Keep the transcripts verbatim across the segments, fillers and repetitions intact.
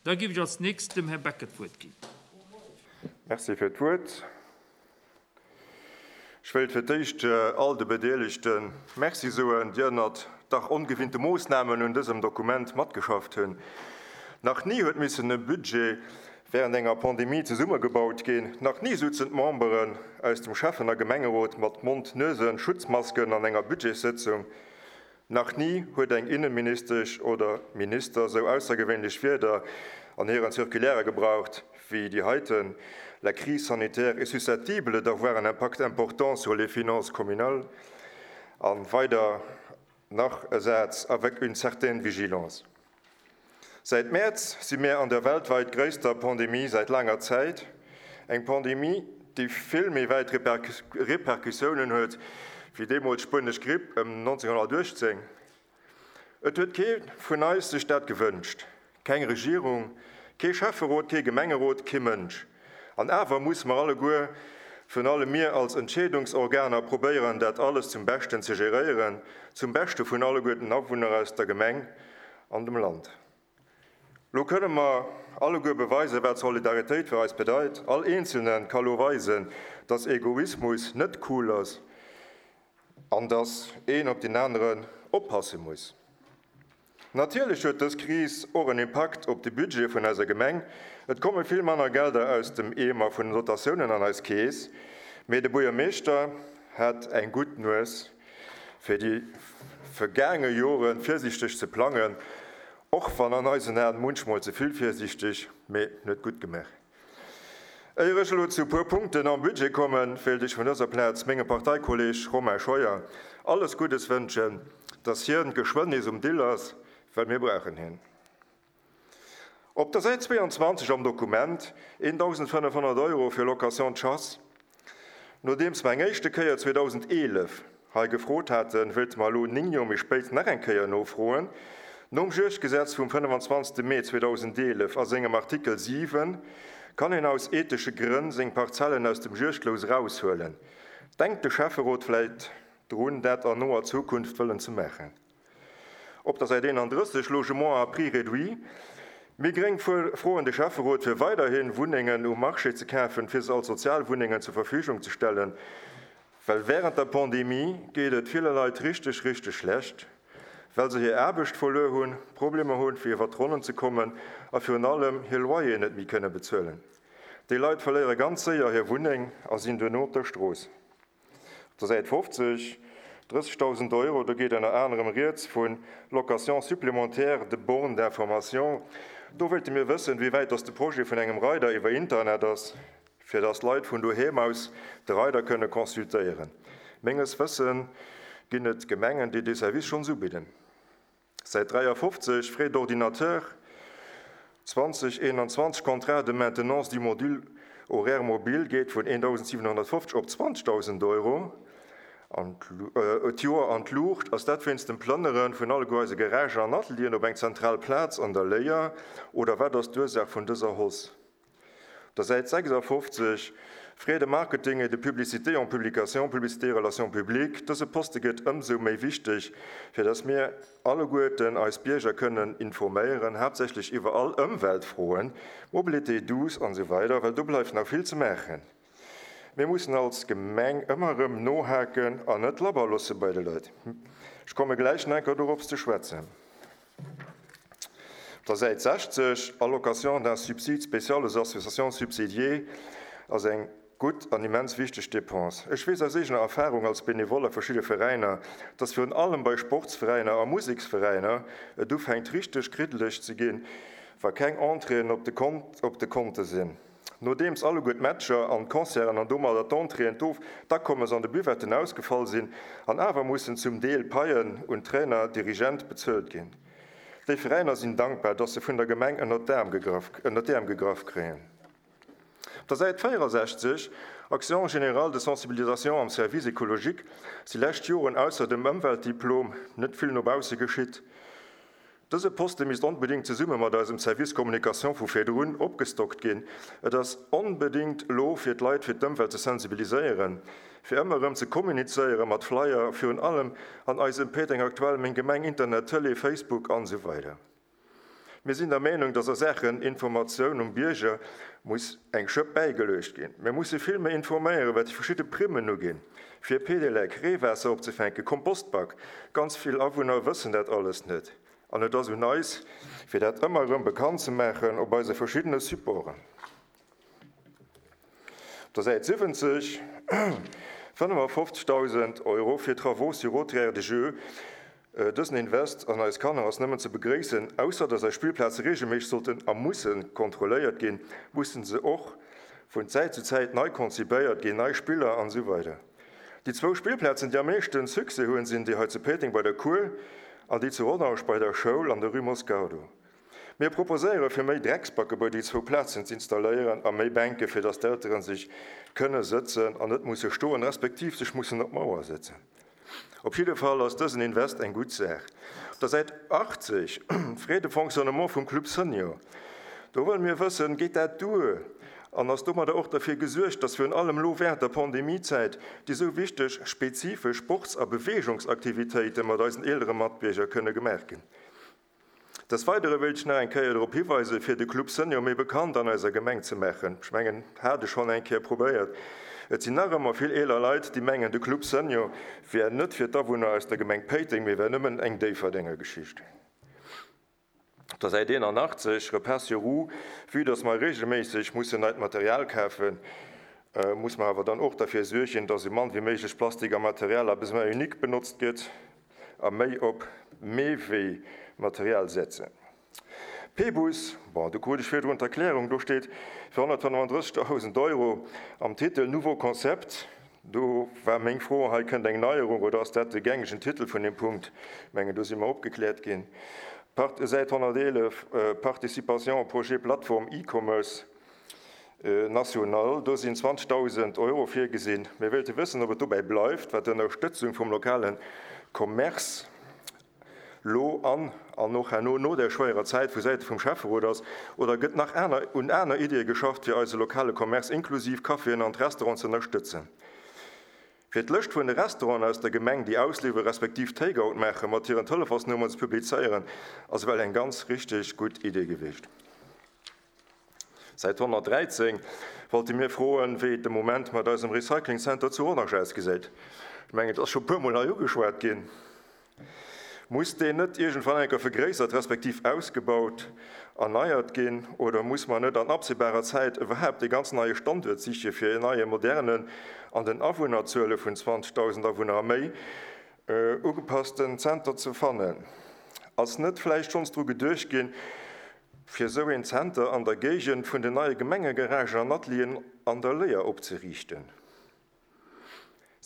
Da géif ech als nächst dem Här Becker d'Wuert ginn. Merci fir d'Wuert. Ech wéilt fir d'éischt all de Bedeelegte Merci soen, déi ënnert dach ongewinnte Moossnamen un dësem Dokument matgeschafft hunn. Nach ni huet missen e Budget wärend enger Pandemie zesummegebaut ginn. Nach ni souzen d'Memberen aus dem Schäffen a Gemengerot mat Mond-Nuesen-Schutzmasken an enger Budgetssëtzung. Nach ni huet eng Innenministesch oder Minister sou aussergewéinlech Wierder an hiren Circulairë gebraucht wéi déi heiten: La crise sanitaire est susceptible d'avoir un impact important sur les finances communales. A weider nach e Saz, avec une certaine vigilance. Säit Mäerz si mir an der weltwäit gréisster Pandemie säit laanger Zäit. Eng Pandemie, déi vill méi wäit Repercussiounen huet wéi deemools d'spuenesch Gripp ëm nonzénghonnertuechtzéng. Et huet kee vun eis sech dat gewënscht. Keng Regierung, kee Schäfferot, kee Gemengerot, kee Mënsch. An awer musse mer alleguer, virun allem mir als Entscheedungsorganer, probéieren, dat alles zum Beschten ze geréieren, zum Beschte vun alleguer den Awunner aus der Gemeng an dem Land. Lo kënne mer alleguer beweisen, wat Solidaritéit fir eis bedeit. All Eenzelne ka lo weisen, dass Egoismus net cool ass an dass een op deen aneren oppasse muss. Natierlech huet dës Kris och en Impakt op de Budget vun eiser Gemeng. Et komme vill manner Gelder aus dem Eemer vun den Dotatiounen an eis Keess. Mee de Buergermeeschter hat eng gutt Nues, fir déi vergaange Jore virsiichteg ze plangen, och wann an eisen Aen munchmol ze vill virsiichteg, mee en huet gutt gemaach. Éier ech elo zu e puer Punkten am Budget kommen, wéilt ech vun dëser Plaz mengem Parteikolleeg Romain Scheuer alles Guddes wënschen, dass hien geschwënn nees um Dill ass, well mir brauchen hien. Op der Säit zweeanzwanzeg am Dokument, eendausendfënnefhonnert Euro fir Location de chasse. Nodeems mer eng éischte Kéier zweedausendeelef hei gefrot haten, wéilte mer elo néng Joer méi spéit nach eng Kéier nofroen. Nom Juegdgesetz vum fënnefanzwanzegste Mee zweedausendeelef a sengem Artikel siwen kann een aus ethesche Grënn seng Parzellen aus dem Juegdlous eraushuelen. Denkt de Schäfferot vläit drun, dat an noer Zukunft wëllen ze maachen? Op der Säit eenandrësseg, Logement à prix réduit, Mir Gréng froen de Schäfferot, fir weiderhi Wunnengen um Marché ze kafen, fir se als Sozialwunnengen zur Verfügung ze stellen, well wärend der Pandemie geet et ville Leit richteg, richteg schlecht, well se hir Aarbecht verluer hunn, Problemer hunn, fir iwwer d'Ronnen ze kommen a virun allem hir Loyeren net méi kënne bezuelen. Déi Leit verléiere ganz séier hir Wunneng a sinn duerno op der Strooss. Op der Säit fofzeg, drëssegdausend Euro, do geet ënner anerem rieds vu Location supplémentaire de bornes d'information. Do wéilte mir wëssen, wéi wäit dass de Projet vun engem Reider iwwer Internet ass, fir dass Leit vun doheem aus de Reider kënne consultéieren. Menges Wëssen ginn et Gemengen, déi dee Service schonns ubidden. Säit dräiafofzeg, Frais d'ordinateur zwanzeg eenanzwanzeg, Contrat de maintenance du module horaire mobile geet vun eendausendsiwenhonnertfofzeg op zwanzegdausend Euro d'Joer an d'Luucht. Ass dat wéinst dem Plënnere vun alleguer eise Garagen an Atelieren op eng zentral Plaz an der Léier oder wat ass d'Ursaach vun dëser Hausse? Op der Säit sechsafofzeg, Frais de marketing et de publicité en publication, publicité, relations publiques, dëse Poste gëtt ëmsou méi wichteg, fir datt mir alleguerten eis Bierger kënnen informéieren, haaptsächlech iwwer all Ëmweltfroen, Mobilité douce an esou weider, well do bleift nach vill ze maachen. Mir mussen als Gemeng ëmmer erëm nohaken an net labber loosse bei de Leit. Ech komme gläich nach eng Kéier dorops ze schwätzen. Op der Säit sechzeg, Allocation d'un subside spécial aux associations subsidiées, ass eng gutt an immens wichteg Dépense. Ech weess aus eegener Erfahrung als Benevole a verschidde Veräiner, dass virun allem bei Sportsveräiner a Museksveräiner et ufänkt richteg kriddeleg ze ginn, wa keng Entréeën op de op de Konte sinn. Nodeems alleguer d'Matcher an d'Concerten an domadder d'Entréeën, d'Akommes an de Buvetten ausgefall sinn an awer mussen zum Deel Paien un Trainer, Dirigent bezuelt ginn. Déi Veräiner sinn dankbar, dass se vun der Gemeng ënnert d'Äerm gegraff kréien. Op der Säit véierasechzeg, Action générale de sensibilisation am Service écologique, si lescht Joren ausser dem Ëmweltdiplom net vill no bausse geschitt. Dëse Poste misst onbedéngt zesumme mat eisem Service Communication vu virdrun opgestockt ginn. Et ass onbedéngt elo fir d'Leit fir d'Ëmwelt ze sensibiliséieren, fir ëmmer erëm ze kommunizéiere mat Flyer, virun allem an eisem Péiteng Aktuell, Meng Gemeng, Internet, Tëlee, Facebook an esou weider. Mir sinn der Meenung, dass a Saachen Informatioun um Bierger muss eng Schëpp bäigeluecht ginn. Mir musse vill méi informéieren, wat déi verschidde Primmen uginn, fir Pedelec, Reewaasser opzefänken, Kompostback. Ganz vill Awunner wëssen dat alles net. An et ass un eis, fir dat ëmmer erëm bekannt ze maachen op eise verschiddene Supporten. Op der Säit siwwenzeg, fënnefafofzegdausend Euro fir Travaux sur haute aire de jeu. Dësen Invest an eis Kanner ass nëmmen ze begréissen. Ausser dass eis Spillplaze reegelméisseg sollten a musse kontrolléiert ginn, mussen se och vun Zäit zu Zäit nei konzipéiert ginn, nei Spiller an esou weider. Déi zwou Spillplazen, déi am meeschten Succès hunn, sinn déi hei zu Péiteng bei der Cour an déi zu Rodange bei der Schoul an der Rue Moscardo. Mir proposéiere fir méi Drecksbacke bei déi zwou Plazen z'installéieren a méi Bänke fir dass d'Elteren sech kënne sëtzen an net musse stoen, respektiv sech mussen op d'Mauer sëtzen. Op jidde Fall ass dësen Invest eng gutt Saach. Op der Säit achtzeg, Frais de fonctionnement vum Club Senior. Do wëlle mir wëssen, geet dat duer an ass domadder och derfir gesuergt, dass virun allem elo während der Pandemiezäit déi esou wichteg spezifesch Sports a Beweegungsaktivitéite mat eisen eelere Matbierger kënne gemaach ginn? Des Weidere wéilt ech nach eng Kéier drop hiweisen, fir de Club Senior méi bekannt an eiser Gemeng ze maachen. Ech mengen, hat ech schonn eng Kéier probéiert. Et sinn nach ëmmer vill eeler Leit, déi mengen, de Club Senior wär net fir d'Awunner aus der Gemeng Péiteng, mee wär nëmmen eng Déifferdenger Geschicht. Op der Säit eenanachtzeg, Repas sur roues, vue dass mer reegelméisseg mussen neit Material kafen, muss mer awer dann och derfir suergen, dass esou mann wéi méiglech Plastik a Material à besoin unique benotzt gëtt a méi op Meewee-Material setzen. P-Bus, bon, do krut ech virdrun d'Erklärung, do steet fir honnertfënnefandrëssigdausend Euro am Titel Nouveau Concept. Do war meng Fro, hei kënnt eng Neierung oder ass dat de gängegen Titel vun dem Punkt? Ech mengen, do si mer opgekläert ginn. Part, Säit honnerteelef, Participation au projet Plateforme E-Commerce national, do sinn zwanzigdausend Euro virgesinn. Mir wéilte wëssen, ob et dobäi bleift, wat d'Ënnerstëtzung vum lokale Commerce lo an an och herno no der schwéierer Zäit vu Säite vum Schäfferot ass, oder gëtt nach aner, un aner Iddie geschafft, fir eise lokale Commerce inklusiv Caféen an d'Restauranten ze ënnerstëtzen? Fir d'Lëscht vun de Restauranten aus der Gemeng, déi ausliwweren, respektiv Takeout maachen, mat hiren Telefonsnummern ze publizéieren, ass well eng ganz richteg gutt Idee gewiescht. Säit honnertdräizéng wollte mir froen, wéi et de Moment mat eisem Recycling Center zu Rodange ausgesäit. Ech mengen, et ass scho puer Mol hei ugeschwat ginn. Muss deen net iergendwann eng Kéier vergréissert, respektiv ausgebaut, erneiert ginn, oder muss man net an absehbarer Zäit iwwerhaapt e ganz neie Standuert siche fir en neie modernen, an den Awunnerzuele vun zwanzigtausend Awunner a méi ugepassten Zenter ze fannen? Ass net vläicht schonns dru geduecht ginn, fir esou een Zenter an der Géigend vun den neie Gemengegaragen an Atelieren an der Léier opzeriichten?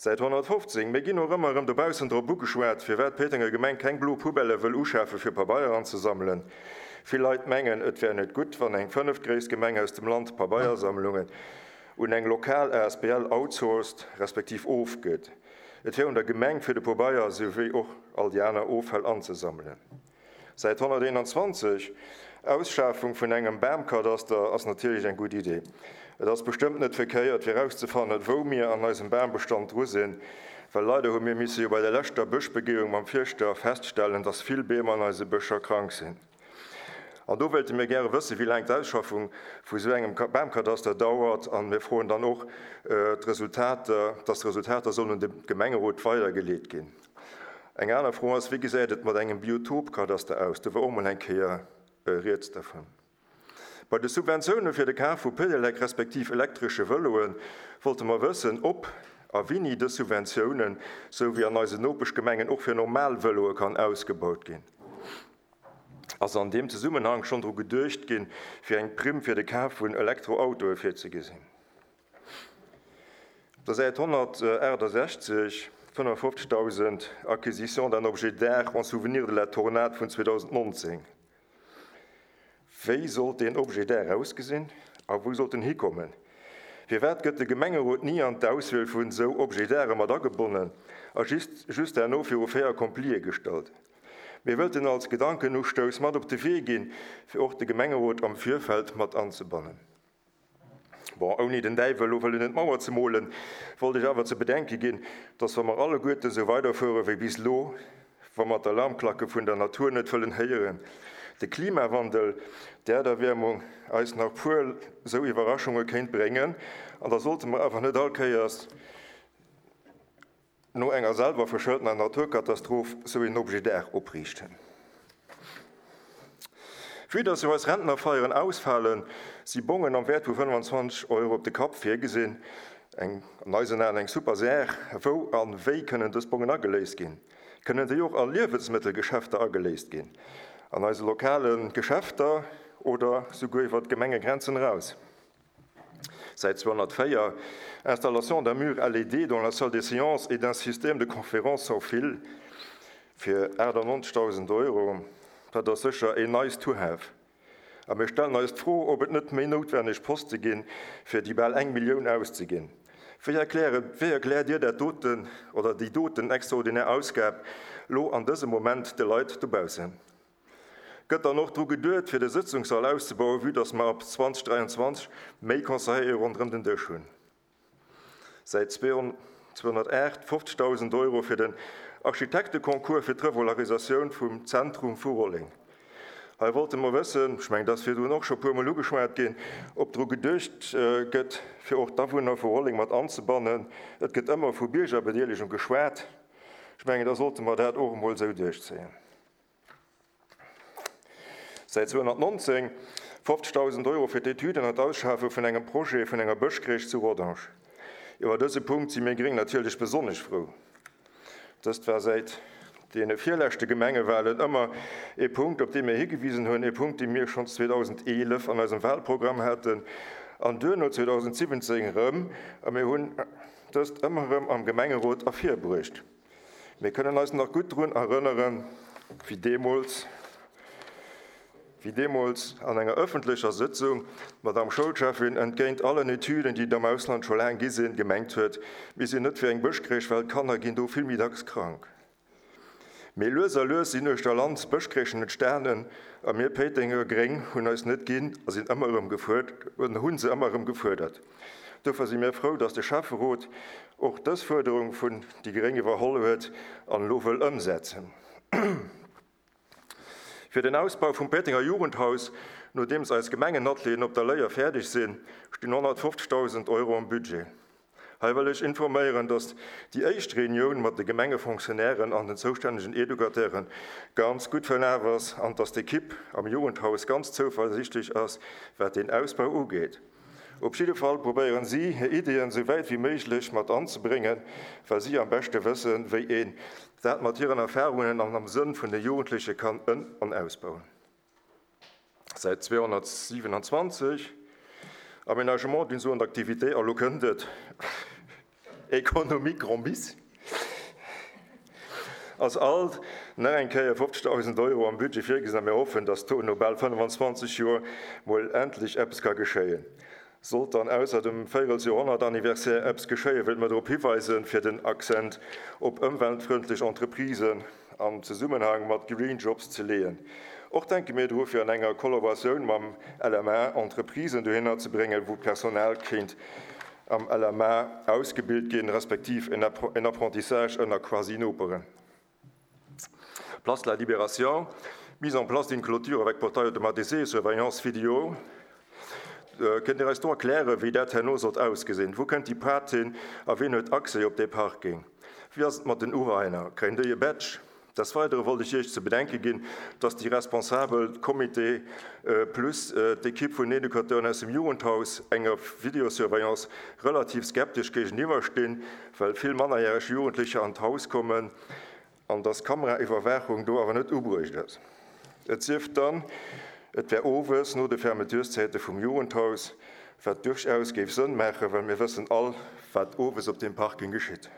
Säit honnertfofzéng, mir ginn och ëmmer erëm dobaussen drop ugeschwat, firwat d'Péitenger Gemeng keng blo Poubelle wëll uschafe fir Pabeier anzesammelen. Vill Leit mengen, et wär net gutt, wann eng fënneftgréisst Gemeng aus dem Land Pabeiersammlungen un eng lokal A S B L outsourced, respektiv ofgëtt. Et wär un der Gemeng fir de Pabeier souwéi och all déi aner Offäll anzesammelen. Säit honnerteenanzwanzeg, Ausschafung vun engem Bamkadaster ass natierlech eng gutt Idee. Et ass bestëmmt net verkéiert, fir erauszefannen, wou mir an eisem Bambestand dru sinn, well leider hu mir misse jo bei der leschter Bëschbegehung mam Fierschter feststellen, dass vill Beem an eise Bëscher krank sinn. An do wéilte mir gäre wëssen, wéi laang d'Ausschaffung vu sou engem Ka-, Bamkadaster dauert, an mir froen dann och, äh, d'Resultater, dass d'Resultater sollen un de Gemengerot weitergeleet ginn. Eng aner Fro ass, wéi gesäit et mat engem Biotopkadaster aus? Do war och mol eng Kéier, äh, rieds davon. Bei de Subventioune fir de Kaf vu Pedelec respektiv elektresche Vëloen wollte mer wëssen, ob a wéini dës Subventiounen, sou wéi an eisen Nopeschgemengen, och fir normal Vëloe kann ausgebaut ginn. Ass an deem Zusammenhang schonn dru geduecht ginn, fir eng Primm fir de Kaf vun Elektroautoe virzugesinn. Op der Säit honnertaachtundsechzeg, fënnefundfünfzigtausend Acquisition d'un objet d'art en souvenir de la tornade vun zweedausendnonzéng. Wéi sollt deen Objet d'art ausgesinn a wou sollt en hikommen? Firwat gëtt de Gemengerot nie an d'Auswiel vun sou Objet d'art mat agebonnen a just, just herno viru fait accompli gestallt? Mir wëllten als Gedankenustouss mat op de Wee ginn, fir och de Gemengerot am Virfeld mat anzebannen. Bon, ouni den Däiwel lo wëllen net d'Mauer ze molen, wollt ech awer ze bedenke ginn, dass wa mer alleguerten sou weiderfuere wéi bis lo, wa mer d'Alarmklacke vun der Natur net wëllen héieren, de Klimawandel, d'Äerderwiermung eis nach puer sou Iwwerraschunge kéint bréngen an da sollte mer awer net all Kéiers no enger selwerverschëltener Naturkatastroph sou een Objet d'art opriichten. Vue dass jo eis Rentnerfeieren ausfalen, si Bongen am Wäert vu fënnwanzwanzeg Euro op de Kapp virgesinn. Eng, an eisen Aen eng super Saach. Wou an wéi kënnen dës Bongen ageléist ginn? Kënnen déi och a Liewensmëttelgeschäfter ageléist ginn? An eise lokale Geschäfter oder souguer iwwer d'Gemengegrenzen eraus? Säit zweehonnertvéier, Installation d'un mur L E D dans la salle des séances et d'un système de conférence sans fil fir aachtannonzegdausend Euro. Dat ass sécher een nice to have. A mir stellen eis d'Fro, ob et net méi noutwenneg Poste ginn, fir déi bal eng Millioun auszeginn. Wéi erkläre, wéi erkläert Dir dat doten oder déi doten extraordinär Ausgab lo an dësem Moment de Leit dobaussen? Gëtt dann och dru geduet, fir de Sëtzungssall auszebauen, vue dass mer ab zweitausenddräianzwanzeg méi Conseillere ronderëm den Dësch hunn? Säit zweehonnertacht fofzegdausend Euro fir den Architekteconcours fir d'Revolarisatioun vum Zentrum vu Rolleng. Hei wollte mer wëssen, ech mengen, dat ass virdrun och scho puermol ugeschwat ginn, ob dru geduecht gëtt, fir och d'Awunner vu Rolleng mat anzebannen. Et gëtt ëmmer vu Biergerbedeelegung geschwat. Ech mengen, da sollte mer dat och emol sou duerchzéien. Säit zweehonnertnonzéng fofzegdausend Euro fir d'Etüden an d'Ausschafe vun engem Projet vun enger Bëschcrèche zu Rodange. Iwwer dëse Punkt si mir Gréng natierlech besonnesch frou. Dëst war säit deene virleschte Gemengewahlen ëmmer e Punkt, op dee mir higewisen hunn, e Punkt, dee mir schonns zweetausendeelef an eisem Wahlprogramm haten an duerno zweetausendsiwwenzéng erëm, a mir hunn dëst ëmmer erëm am Gemengerot ervirbruecht. Mir kënnen eis nach gutt drun erënneren, wéi deemools, wéi deemools an enger ëffentlecher Sëtzung d'Madame Schoulchefin entgéint allen Etüden, déi am Ausland scho laang gi sinn, gemengt huet, mir sinn net fir eng Bëschcrèche, well d'Kanner ginn do vill méi dacks krank. Mee lues a lues sinn uechter Land Bëschcrèchen entstanen a mir Péitenger Gréng hunn eis net ginn a sinn ëmmer erëm gefuerdert, hunn se ëmmer erëm gefuerdert. Dofir si mir frou, dass de Schäfferot och dës Fuerderung vun déi Gréng iwwerholl huet an elo wëll ëmsetzen. Fir den Ausbau vum Péitenger Jugendhaus, nodeems eis Gemengenatelieren op der Léier fäerdeg sinn, stinn honnertfofzegdausend Euro am Budget. Hei wëll ech informéieren, dass déi éischt Reunioun mat de Gemengefonctionnairen an den zoustännegen Educateuren ganz gutt verlaf ass an dass d'Ekipp am Jugendhaus ganz zouversichtlech ass, wat den Ausbau ugeet. Op jidde Fall probéieren si, hir Ideen sou wäit wéi méiglech mat anzebréngen, well si am beschte wëssen, wéi een dat mat hiren Erfahrungen an am Sënn vun de Jugendleche kann ën- an ausbauen. Säit zweehonnertsiewenundzwanzeg Aménagement d'une zone d'activité, elo kënnt et économique grand bis, ass alt nach eng Kéier fofzegdausend Euro am Budget virgesinn a mir hoffen, dass do no bal fënnwanzwanzeg Joer mol endlech eppes ka geschéien. Sollt dann ausser dem Véierelsjoerhonnert-Anniversaire eppes geschéien, wëllt mer drop hiweisen, fir den Akzent op ëmweltfreundlech Entreprisen am Zesummenhang mat Green Jobs ze leeën. Och denke mir dru fir an enger Kollaboratioun mam L M A Entreprisen dohinner ze bréngen, wou Personal kéint am L M A ausgebilt ginn, respektiv en Appro-, en Apprentissage ënner Quasi-Noperen. Place de la Libération, mise en place d'une clôture avec portail automatisé et surveillance vidéo. Äh, kënnt Dir eis do erklären, wéi dat herno sollt ausgesinn? Wo kënnt déi Prat hin a wien huet Accès op dee Parking? Wie ass et mat den Urainer? Kréien déi e Badge? Des Weiteren wollte ich Iech ze bedenke ginn, dass déi responsabel Comité, äh, plus, äh, d'Ekipp vun Educateuren aus dem Jugendhaus enger Videosurveillance relativ skeptisch gegenüberstehen, well vill mannerjähreg Jugendliche an d'Haus kommen an dass Kameraiwwerwaachung do awer net ubruecht ass. Et sief dann, et wär owes no de Fermeturszeite vum Jugendhaus, wat durchaus géif Sënn maachen, well mir wëssen all, wat owes op dem Parking geschitt.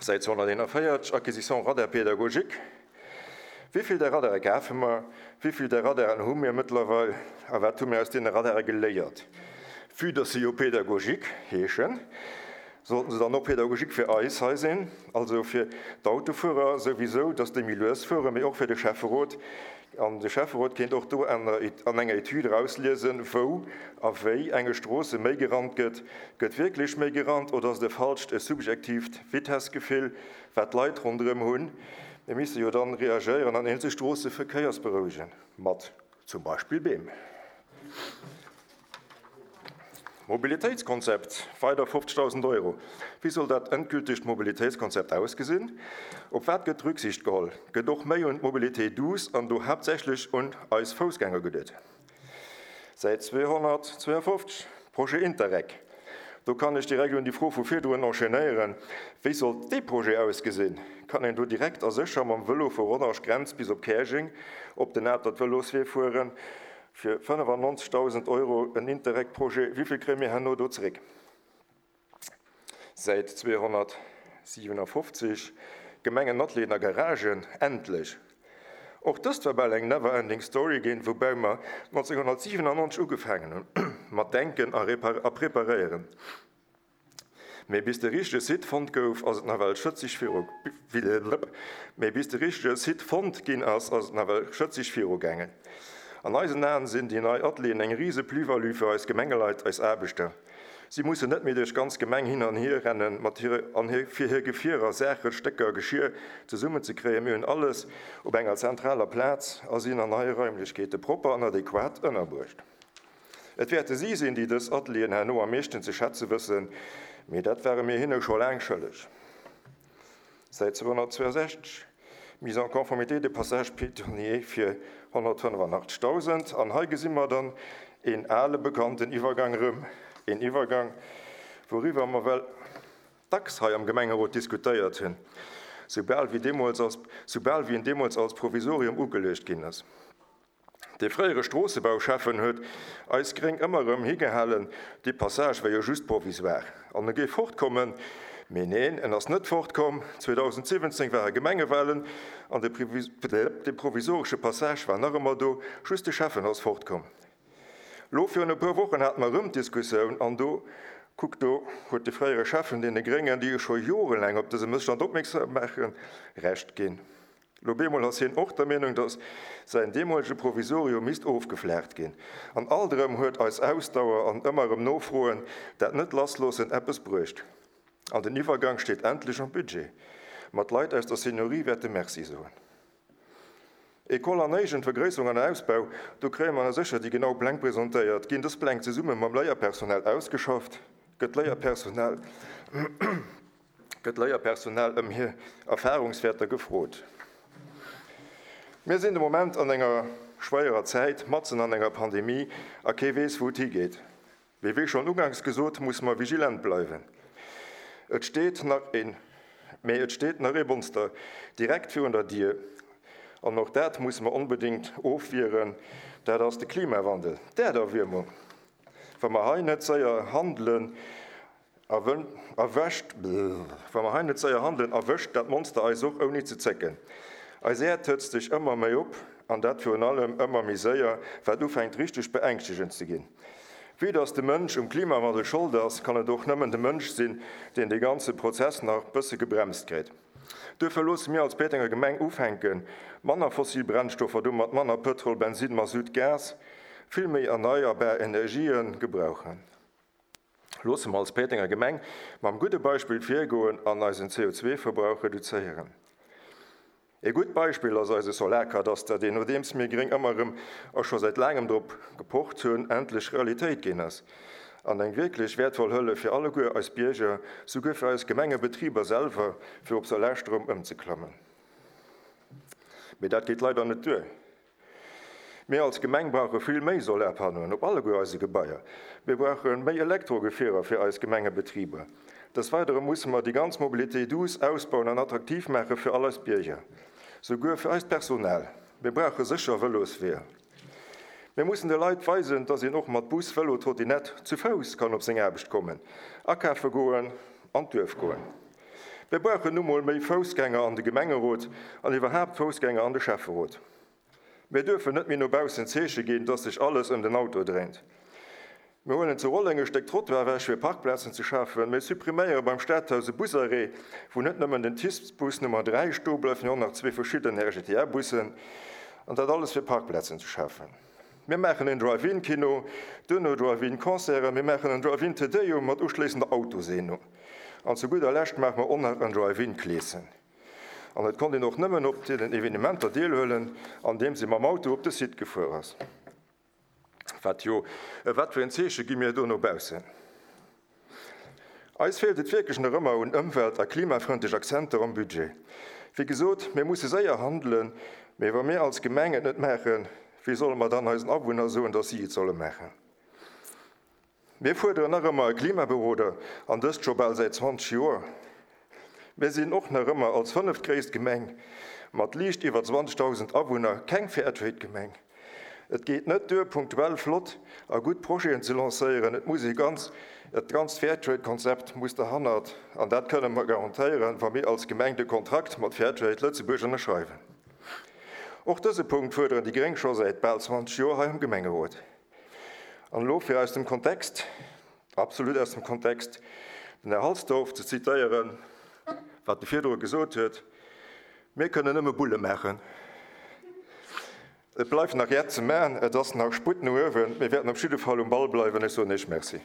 Säit zweehonnerteenundvierzig, Acquisition Radar pédagogique. Wie vill der Radare gafe mer? Wie vill der Radaren hu mir mittlerweile? A wat hu mir aus den Radare geléiert? Vue dass se jo pédagogique heeschen, sollten se dann och pédagogique fir eis hei sinn, also fir d'Autofuerer sowieso, dass déi méi lues fueren, mee och fir de Schäfferot. An de Schäfferot kéint och do an der Et-, an enger Etüd rauslesen, wou a wéi enge Stroosse méi gerannt gëtt. Gëtt wierklech méi gerannt oder ass de falscht e subjektiivt Vitessgefill, wat d'Leit ronderëm hunn? Mir misse jo dann reagéieren an eenzel Stroosse verkéiersberouegen, mat zum Beispill Beem. Mobilitéitskonzept, weider fofzegdausend Euro. Wéi soll dat endgültegt Mobilitéitskonzept ausgesinn? Op wat gëtt Rücksicht geholl? Gëtt och méi un d'Mobilité douce an do haaptsächlech un eis Foussgänger geduet? Säit zweehonnertzweeënfofzeg, Projet Interreg. Do kann ech direkt un déi Fro vu virdrun enchaînéieren. Wéi soll dee Projet ausgesinn? Kann een do direkt a sécher mam Vëlo vu Rodange Grenz bis op Käerjeng op den Atert Vëloswee fueren? Fir fënnefannonzegdausend Euro en Interreg-Projet, wéi vill kréie mir herno do zeréck? Säit zweehonnertsiwenafofzeg, Gemengen Atelieren a Garagen, endlech! Och dëst war bal eng never-ending story ginn, woubäi mer nonzénghonnertsiwenannonzeg ugefaangen hunn mat denken a a preparéieren. Mee bis de richtege Site fonnt gouf, ass et nawell schëtzeg viru Mee bis de richtege Site fonnt ginn ass, ass et nawell schëtzeg virugaangen. An eisen Aen sinn déi nei Atelieren eng rise Plus-value fir eis Gemengeleit, eis Aarbechter. Si mussen net méi duerch d'ganz Gemeng hin an hier rennen, mat hire an hir fir hir Gefierer, Saachen, Stécker, Geschir zesummenzekréien. Mir hunn alles op enger zentraler Plaz a sinn an neie Raimlechkeete propper an adequat ënnerbruecht. Et wäerte si sinn, déi dës Atelieren herno am meeschten ze schätze wëssen, mee dat ware mir hinne scho laang schëlleg. Säit zweehonnertzwouesechzeg, Mise en conformité des passages piétonniers fir honnertfënnefanachtzeghdausend. An hei gesi mer dann een ale bekannten Iwwergang erëm, een Iwwergang, wouriwwer mer well dacks hei am Gemengerot diskutéiert hunn, soubal wéi deemools als, soubal wéi en deemools als Provisorium ugeluecht ginn ass. Dee fréiere Stroossebauschäffen huet eis Gréng ëmmer erëm higehalen, dee Passage wär jo just provisoire an e géif fortkommen. Mee neen, en ass net fortkomm. zweedausendsiwwenzéng ware Gemengewalen an de provisoresche Passage war nach ëmmer do, just de Schäffen ass fortkomm. Lo virun e puer Wochen hate mer erëm d'Diskussioun an do, kuck do, huet de fréiere Schäffen deene Gréngen, déi e scho jorelaang op dëse Mësstand opmierksam maachen, Recht ginn. Lo bemol ass hien och der Meenung, datt säin deemolege Provisorium misst ofgeflaacht ginn. An alt erëm huet eis Ausdauer an ëmmer erëm Nofroen, dat net lassloossen, eppes bruecht. An den Iwwergang steet endlech am Budget. Ma d'Leit aus der Seniorie wäerte Merci soen. École an Éigent, Vergréisserung an Ausbau, do kréie mer sécher déi genau Pläng presentéiert. Ginn dës Pläng zesumme mam Léierpersonal ausgeschafft? Gëtt d'Léierpersonal gëtt d'Léierpersonal ëm hir Erfahrungswäerter gefrot? Mir sinn de Moment an enger schwéierer Zäit, matzen an enger Pandemie, a kee weess, wou et higeet. Mee wéi schonn uganks gesot, musse mer vigilent bleiwen. Et steet nach een, mee et steet nach ee Monster direkt virun der Dier. An och dat musse mer onbedéngt ofwieren, dat ass de Klimawandel, d'Äerderwiermung. Wa mer hei net séier handelen, erwëscht, wa mer hei net séier handelen, erwëscht dat Monster eis och ouni ze zécken. Eis Äerd hëtzt sech ëmmer méi op, an dat virun allem ëmmer méi séier, wat ufänkt richteg beängschtegend ze ginn. Vue dass de Mënsch um Klimawandel Schold ass, kann et och nëmmen de Mënsch sinn, deen dee ganze Prozess nach bësse gebremst kritt. Duerfir loosse mir als Péitenger Gemeng ufänken, manner fossil Brennstoffer, domat manner Pëtrol, Bensin, Masutt, Gas, vill méi erneierbar Energien gebrauchen. Loosse mer als Péitenger Gemeng mam gudde Beispill virgoen an eisen C O zwei Verbrauch reduzéieren. E gutt Beispill ass eise Solarkadaster, deen, nodeems mir Gréng ëmmer erëm a scho säit laangem drop gepocht hunn, endlech Realitéit ginn ass. An eng wierklech wäertvoll Hëllef fir alleguer eis Bierger, souguer fir eis Gemengebetriber selwer, fir op Solarstroum ëmzeklammen. Mee dat geet leider net duer. Mir als Gemeng brauche vill méi Solarpannoen op alleguer eise Gebaier. Mir brauche méi Elektrogefierer fir eis Gemengebetriber. Des Weidere musse mer déi ganz Mobilité douce ausbauen an attraktiv maache fir all eis Bierger, souguer fir eist Personal. Mir brauche sécher Vëlosweeër. Mir mussen de Leit weisen, dass een och mat Bus, Vëlo, Trottinett zu Fouss kann op seng Aarbecht kommen, akafe goen an d'Duerf goen. Mir brauchen nu mol méi Foussgänger an de Gemengerot an iwwerhaapt Foussgänger an de Schäfferot. Mir dürfen net méi no baussen Zeeche ginn, dass sech alles ëm den Auto dréint. Mir huelen zu Rolleng e Stéck Trottoir ewech, fir Parkplazen ze schafen. Mir suppriméiere beim Stadhaus e Busarrêt, wou net nëmmen den T I S-Bus Nummer dräi stoe bleift, mee och nach zwee verschidden R G T A-Bussen. An dat alles fir Parkplazen ze schafen. Mir maachen en Drive-in-Kino, duerno Drive-in-Concerten, mir maachen en Drive-in-Te Deum mat uschléissender Autoseenung. An zu gudder Lescht maache mer och nach en Drive-in-Kleeschen. An et konnt een och nëmmen op den Evenementer deelhuelen, andeems ee mam Auto op de Site gefuer ass. Wat jo, wat fir en Zeeche gi mir do no baussen? Eis feelt et wierklech nach ëmmer un ëmwelt a klimafrëndlech Akzenter am Budget. Wéi gesot, mir musse séier handelen, mee wa mir als Gemeng et net maachen, wéi solle mer dann eisen Awunner soen, datt si et solle maachen? Mir fuerderen nach ëmmer e Klimaberoder, an dëst scho bal säit zwanzeg Joer. Mir sinn och nach ëmmer als fënneftgréisst Gemeng mat liicht iwwer zwanzegdausend Awunner keng Fairtrade-Gemeng. Et geet net duer, punktuell flott a gutt Projeten ze lancéieren, et muss ee ganz, et ganzt Fairtrade-Konzept muss derhannert, an dat kënne mer garantéieren, wa mir als Gemeng de Kontrakt mat Fairtrade Lëtzebuerg ënnerschreiwen. Och dëse Punkt fuerderen déi gréng scho säit bal zwanzeg Joer hei am Gemengerot. An elo, fir aus dem Kontext, absolut aus dem Kontext, den Här Halsdorf ze zitéieren, wat e virdru gesot huet, Mir kënnen nëmme Bulle maachen. Et bleift nach Jett ze maachen, et ass nach Sputt no uewen. Mir wäerten op jidde Fall um Ball bleiwen. Ech soen Iech Merci.